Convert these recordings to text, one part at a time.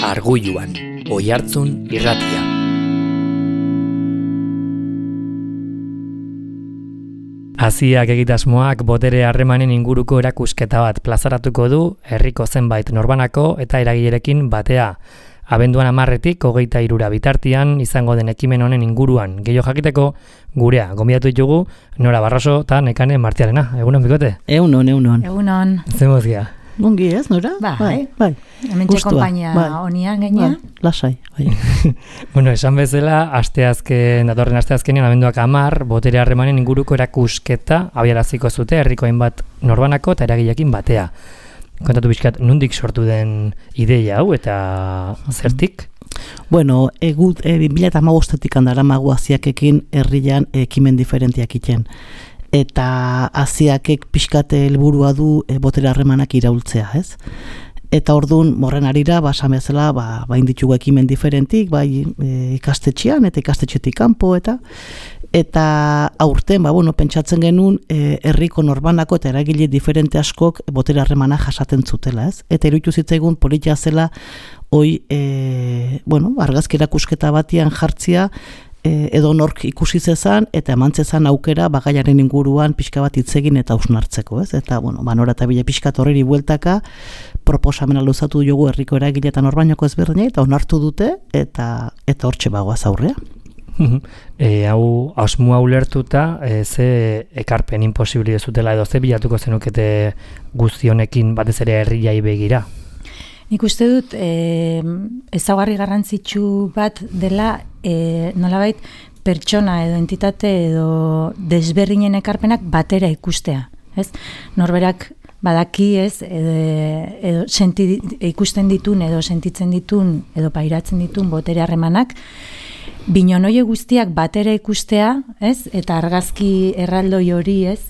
Arguluan, Oihartzun irratia. Aziak egitasmoak botere harremanen inguruko erakusketa bat plazaratuko du herriko zenbait norbanako eta eragilerekin batea. Abenduan 10-tik 23 bitartean izango den ekimen honen inguruan gehiago jakiteko gurea gonbidatu ditugu Nora Barroso eta Nekane Martiarena. Egunon bikote? Egunon. Zemozia? Gongi ez, Nora? Bai. Hementxe konpainia honian gaina. Lasai, bai. Bueno, esan bezala, datorren asteazkenean abenduak 10 botere harremanen inguruko erakusketa abiaraziko zute herriko hainbat norbanako eta eragileekin batea. Kontatu pixkat, nondik sortu den ideia hau eta zertik? Bueno, 2015-etik daramagu Aziakekin herrian ekimen diferentiak iten. Eta Aziakek pixkate helburua du botere harremanak iraultzea, ez? Eta orduan, morren arira, esan bezala, bain ditugu ekimen diferentik, bai ikastetxean eta ikastetxetik kanpo, eta aurten, pentsatzen genuen herriko norbanako eta eragile diferente askok botere harremana jasaten zutela, ez? Eta iruditu zitzaigun politia zela, argazki erakusketa batian jartzia, edo nork ikusi zezan eta emantzezan aukera bagaiaren inguruan pixka bat hitzegin eta hausnartzeko, ez? Eta Nora eta bile pixka horreri bueltaka proposamena luzatu dugu herriko eragile eta norbainako ezberdina eta onartu dute eta hortxe bagoaz aurrea. Hau asmoa ulertuta ze ekarpen imposibili dezutela edo ze bilatuko zenukete guzti honekin batez ere herriai begira? Nik uste dut ezaugarri garrantzitsu bat dela nolabait pertsona edo entitate edo desberdinen ekarpenak batera ikustea, ez? Norberak badaki, ez, edo ikusten ditun edo sentitzen ditun edo pairatzen ditun botere harremanak, binonoie guztiak batera ikustea, ez? Eta argazki erraldoi hori, ez?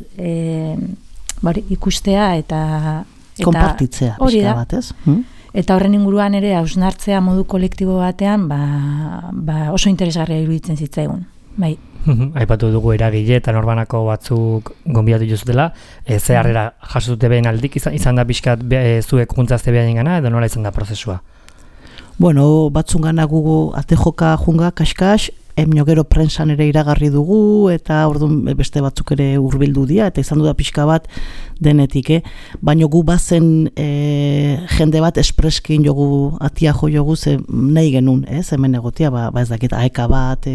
Ikustea eta konpartitzea pixka bat, ez? Eta horren inguruan ere hausnartzea modu kolektibo batean oso interesgarria iruditzen zitzaigun. Bai. Aipatu dugu eragile eta norbanako batzuk gonbidatu dituzutela, ze harrera jaso dute behen aldik izan da pixkat zuek juntzazte behain gana edo nola izan da prozesua? Bueno, batzungana gugu ate joka junga kaskas, gero prensan ere iragarri dugu eta orduan beste batzuk ere hurbildu dira eta izan du da pixka bat denetik, baina gu bazen jende bat espreskin jogu, atia jo jogu ze nahi genuen, hemen egotia, ez dakit aeka bat,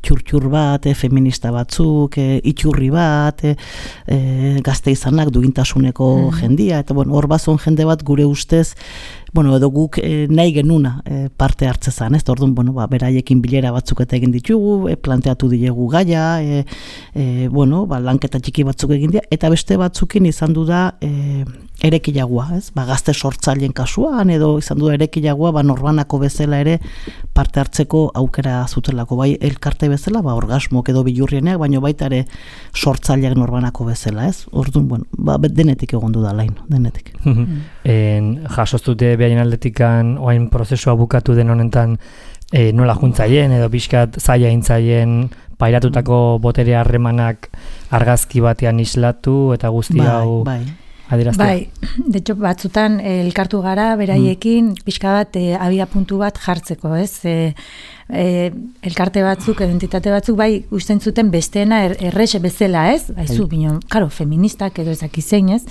txur bat, feminista batzuk, itxurri bat, gazte izanak dugintasuneko jendia, eta hor bazon jende bat gure ustez, edo guk nahi genuna parte hartzezan, ez? Orduan, beraiekin bilera batzuk eta egin ditugu, planteatu dilegu gaia, lanketa txiki batzuk egin dira, eta beste batzukin izan du da erekilagoa, ez? Gazte sortzaileen kasuan, edo izan du da erekilagoa, norbanako bezala ere parte hartzeko aukera zutelako, bai elkarte bezala, orgasmok edo bilurrieneak, baina baita ere sortzaileak norbanako bezala, ez? Orduan, denetik egon du da lain, denetik. Jasoztute behaien aldetikan oain prozesua bukatu den honetan nola juntzaien edo pixkat zaila intzaien pairatutako botere harremanak argazki batean islatu eta guzti hau adieraztea. Bai, de hecho batzutan elkartu gara beraiekin pixka bat abia puntu bat jartzeko, ez? Elkarte batzuk, identitate batzuk bai usten zuten besteena errexe bezala, ez? Aizu, binon, feministak edo ezakizein, ez?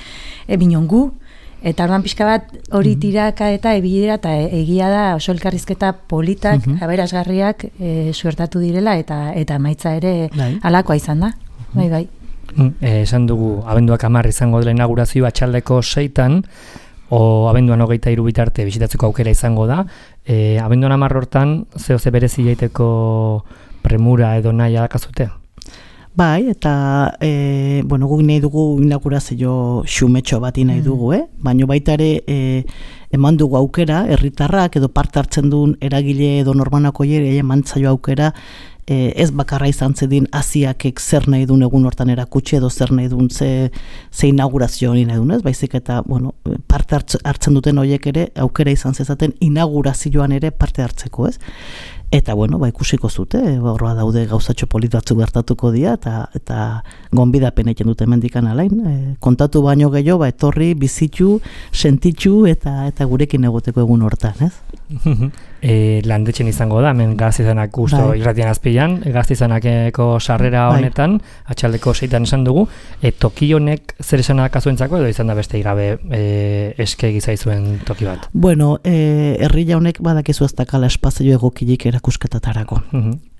Binon gu, eta orduan pixka bat hori tiraka eta ebilera eta egia da oso elkarrizketa politak, aberasgarriak suertatu direla eta maitza ere halakoa izan da. Bai. Esan dugu, abenduak 10 izango dela inaugurazioa atxaldeko 6-tan, o abenduan 23 bitarte bisitatzeko aukera izango da. Abenduan 10 hortan, ze berezi jaiteko premura edo nahi adakazute? Bai, eta guk nahi dugu inaugurazio xumetxo bat nahi dugu, baina baita ere eman dugu aukera, herritarrak edo parte hartzen duen eragile edo norbanako ere emantzaio aukera, ez bakarra izan zedin Aziakek zer nahi duen egun hortan erakutsi edo zer nahi duen ze inaugurazio hori nahi duen, ez? Baizik eta parte hartzen duten horiek ere aukera izan zezaten inaugurazioan ere parte hartzeko, ez? Eta, bueno, ikusiko zute, horra daude gauzatxo politatzu gertatuko dira, eta gonbidapen egiten dute mendikan alain. Kontatu baino gehiago, etorri, bizitu, sentitzu, eta gurekin egoteko egun hortan, ez? Landetxen izango da, hemen Gaztizanak usto irratian azpilan, Gaztizanakeko sarrera honetan, atxaldeko 6 esan dugu, toki honek zer esan akazuentzako, edo izan da beste igabe eske gizaizuen toki bat? Bueno, herria honek badakizu ez dakala espazio egokilik erakusketetarako.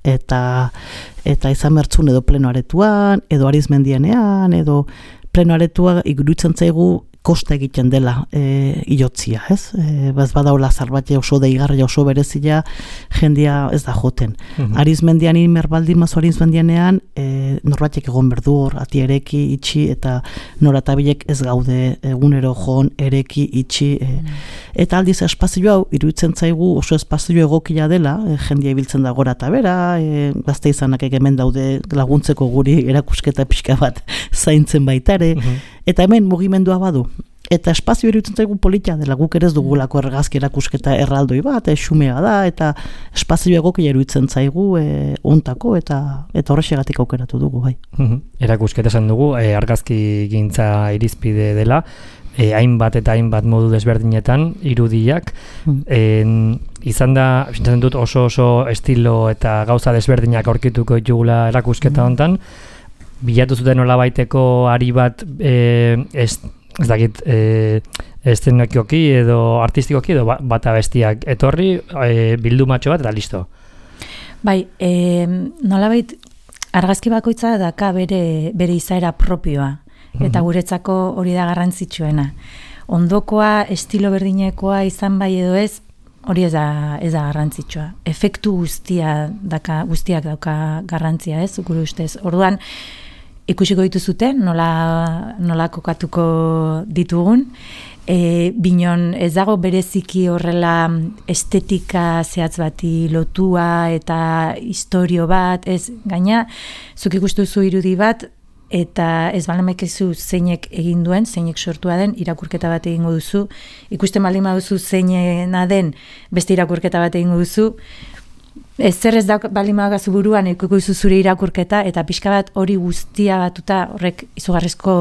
Eta izan bertzun edo plenoaretuan, edo arizmendianean, edo plenoaretua iruditzen zaigu kosta egiten dela iotzia, ez? Badaula zarbate oso deigarria, oso berezia, jendia ez da joten. Arizmendian inmerbaldin mazu arizmendianean, norbatek egon berdu hor, ati ereki, itxi, eta noratabilek ez gaude egunero joan, ereki, itxi. Eta aldiz espazio hau, iruditzen zaigu oso espazio egokia dela, jendia ibiltzen da gora eta bera, gazte izanak hemen daude laguntzeko guri erakusketa pixka bat zaintzen baitare, eta hemen mugimendua badu. Eta espazio iruditzen zaigu politia dela, guk ere ez dugulako argazki erakusketa erraldoi bat, xumea da, eta espazio egokia iruditzen zaigu ontako, eta horrexegatik aukeratu dugu, bai. Erakusketa esan dugu, argazki gintza irizpide dela, hainbat eta hainbat modu desberdinetan, irudiak, izan da, sintzen dut oso estilo eta gauza desberdinak aurkituko ditugula erakusketa hontan, bilatu zuten nolabaiteko ari bat ez dakit eszenokioki edo artistikoki edo bata bestiak etorri, bildu matxo bat eta listo. Bai, nolabait argazki bakoitza daka bere izaera propioa, eta guretzako hori da garrantzitsuena. Ondokoa, estilo berdinekoa izan bai edo ez, hori ez da garrantzitsua. Efektu guztiak dauka garrantzia, ez, gure ustez. Orduan, ikusiko dituzuten, nola kokatuko ditugun. Binon ez dago bereziki horrela estetika zehatz bati lotua eta historio bat, ez gaina, zuk ikustuzu irudi bat, eta ez balamekezu zeinek egin duen, zeinek sortua den, irakurketa bat egingo duzu, ikusten baldin baduzu zeinena den, beste irakurketa bat egingo duzu, zer ez da baldin badagazu buruan ikustu zure irakurketa, eta pixka bat hori guztia batuta horrek izugarrizko,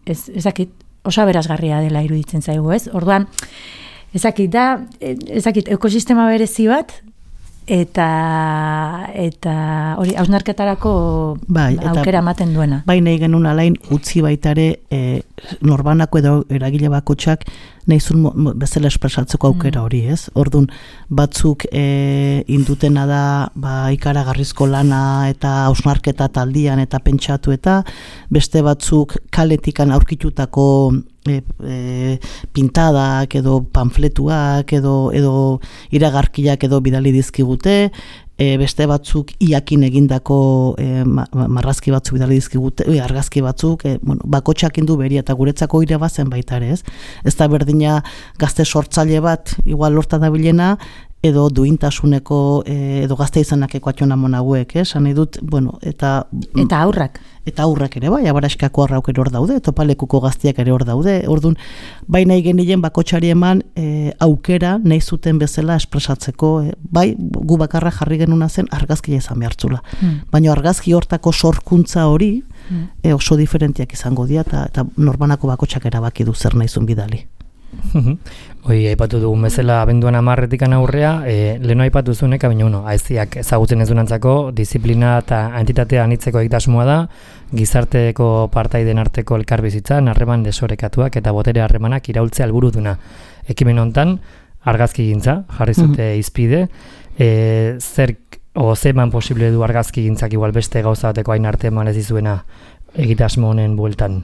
ezakit, oso aberasgarria dela iruditzen zaigu, ez? Orduan, ezakit, ekosistema berezi bat, eta hori hausnarketarako aukera ematen duena. Bai nahi genuen alain utzi baitare norbanako edo eragile bakotxak nahizun bezala espresatzeko aukera hori, ez? Orduan, batzuk indutena da ikaragarrizko lana eta hausnarketa taldian eta pentsatu eta beste batzuk kaletikan aurkitutako pintadak edo panfletuak edo iragarkiak edo bidali dizkigute, beste batzuk iakin egindako marrazki batzuk bidali dizkigute, argazki batzuk, bakotxak indu beria eta guretzako irabazen baita ere, ez? Ez da berdina gazte sortzaile bat igual lorta dabilena, edo duintasuneko, edo gazte izanakeko atxona monaguek, esan edut, bueno, eta aurrak. Eta aurrak ere, bai, abaraskako arrauk ere hor daude, topalekuko gaztiak ere hor daude, orduan, bai nahi genien bakotxari eman aukera nahi zuten bezala espresatzeko, bai, gu bakarra jarri genuna zen argazkia izan behartzula. Baina argazki hortako sorkuntza hori oso diferentiak izango dira, eta norbanako bakotxak erabaki du zer nahi zuen bidali. Hoi, aipatu dugun bezala abenduan 10 aurrea, leheno aipatu zunek, baina aiziak ezagutzen ez dunantzako, disiplina eta entitatea anitzeko egitasmoa da, gizarteko partaiden arteko elkarbizitzan, harreman desorekatuak eta botere harremanak iraultzea helburu duna. Ekimen hontan, argazki gintza, jarri zute izpide, zeman posible du argazki gintzak igual beste gauza bateko hain arte eman ez dizuena egitasmo honen bueltan?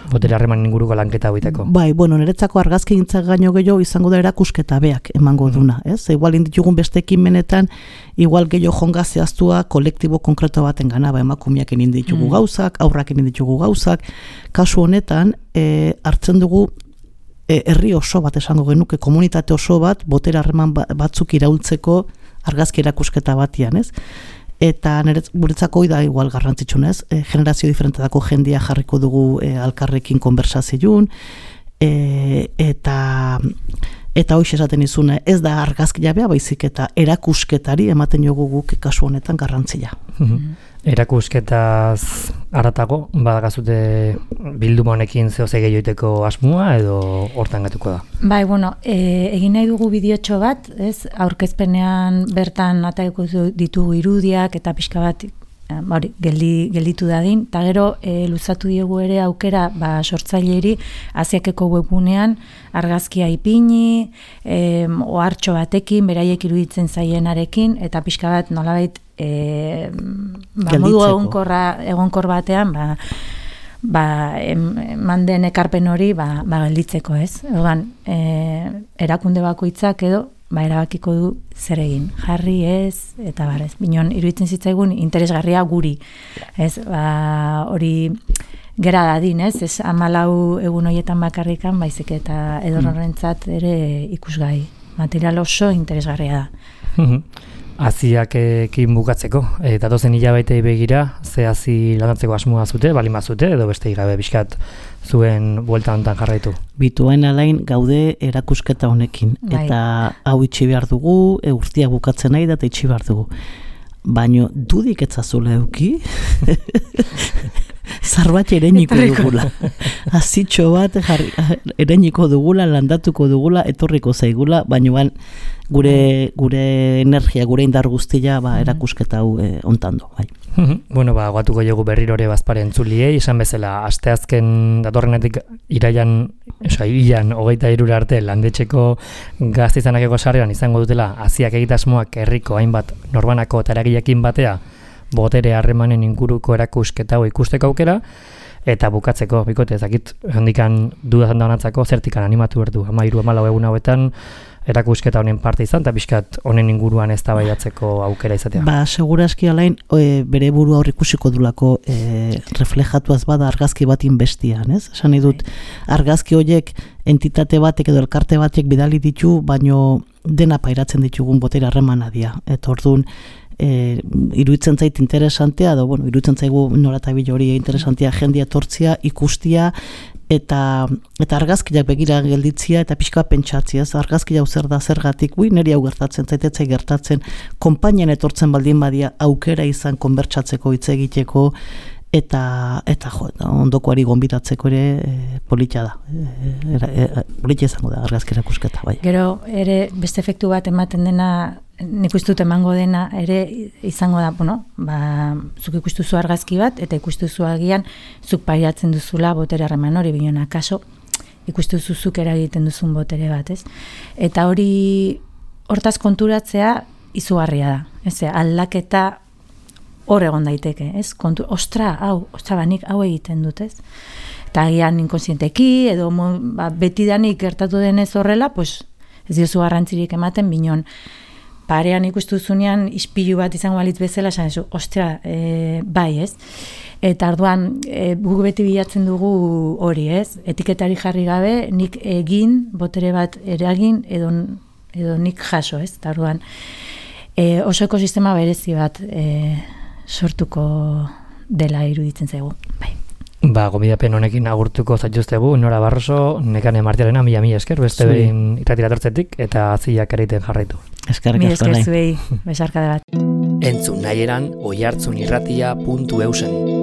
Botere harreman inguruko lanketa hoiteko. Bai, bueno, niretzako argazki gintzak gaino gehiago izango da erakusketa beak emango duna, ez? Igual inditugun beste ekimenetan, igual gehiago jonga zehaztua kolektibo konkreto baten gana, emakumeak inditugu gauzak, aurrak inditugu gauzak, kasu honetan, hartzen dugu herri oso bat esango genuke, komunitate oso bat, botere harreman batzuk iraultzeko argazki erakusketa batian, ez? Eta guretzako da igual garrantzitsunez, generazio diferentetako jendia jarriko dugu alkarrekin konversazioun, eta Eta hoiz esaten izuna, ez da argazki jabea, baizik eta erakusketari ematen jogu guk kasu honetan garrantzia. Erakusketaz haratago, badakazute bilduma honekin zehose gehioiteko asmoa edo hortan gatuko da? Bai, bueno, egin nahi dugu bideotxo bat, ez? Aurkezpenean bertan ataiko ditugu irudiak eta pixka bat gelditu dadin, eta gero luzatu diegu ere aukera sortzaileri Aziakeko webunean argazkia ipini, ohartxo batekin, beraiek iruditzen zaienarekin, eta pixka bat nolabait modu egonkor batean manden ekarpen hori gelditzeko, ez? Orduan, erakunde bakoitzak edo erabakiko du zer egin, jarri ez, eta barrez. Binon, iruditzen zitzaigun interesgarria guri, ez? Hori gera dadin, ez? Ez 14 egun horietan bakarrikan, baizik eta edorrentzat ere ikusgai. Material oso interesgarria da. Aziakekin bukatzeko, eta dozen hilabetei begira, ze hazi lanatzeko asmoa zute, balin bazute, edo beste gabe bizkat zuen buelta honetan jarraitu? Bituen alain gaude erakusketa honekin, eta hau itxi behar dugu, urtia bukatzen nahi da, eta itxi behar dugu. Baina dudik etzazula euki, zarbait ereniko dugula. Azitxo bat ereniko dugula, landatuko dugula, etorriko zaigula, baina gure energia, gure indar guztia erakusketa hau ontando. Bueno, goatuko jogu berrirore bazparen entzuliei, esan bezala, asteazken datorrenetik ilan 23 arte landetxeko gaztizanakeko sarrean izango dutela Aziak egitasmoak herriko hainbat norbanako eta eragileekin batea botere harremanen inguruko erakusketa hau ikusteko aukera, eta bukatzeko, bikote, ezakit, handikan dudazan daunatzako zertikan animatu berdu, 13-14 egun hauetan erakusketa honen parte izan, eta pixkat honen inguruan eztabaidatzeko aukera izatea. Segurazki alain, bere burua hor ikusiko dulako reflejatuaz bada argazki bat inbestian, ez? Esan dut, argazki horiek entitate batek edo elkarte batek bidali ditu, baino dena pairatzen ditugun botere harremana dira. Eta orduan, iruditzen zait interesantea, iruditzen zaigu noratabile hori interesantea jendia tortzia, ikustia, eta argazkiak begira gelditzia eta pixka pentsatzia, argazki hau zer da zergatik, niri hau gertatzen, zaitetzai gertatzen, konpainian etortzen baldin badia aukera izan konbertsatzeko, hitz egiteko, eta ondokoari gonbidatzeko ere polita da. Polita izango da argazki erakusketa, bai. Gero ere beste efektu bat ematen dena, nik ustut emango dena ere izango da, zuk ikustuzu argazki bat, eta ikustuzu agian zuk pairatzen duzula botere harreman hori, bion akaso ikustuzu zuk eragiten duzun botere bat, ez? Eta hori hortaz konturatzea izugarria da, ez? Aldaketa hor egon daiteke, ez? Ostra, nik hau egiten dut, ez? Eta agian inkonsienteki, edo betidanik gertatu denez horrela, ez diozu garrantzirik ematen, binon, parean ikustuzunean ispilu bat izango balitz bezala, esan ezu, ostra, bai, ez? Eta orduan, guk beti bilatzen dugu hori, ez? Etiketari jarri gabe, nik egin, botere bat eragin, edo nik jaso, ez? Eta orduan, oso ekosistema berezi bat sortuko dela iruditzen zaigu, bai. Gomidapen honekin agurtuko zaituztegu, Nora Barroso, Nekane Martialena, mila esker, beste behin irratira tortzetik, eta Aziak ereiten jarraitu. Eskerrik asko nahi. Mila esker zuei, besarkade bat. Entzun nahi eran oihartzunirratia.eusen.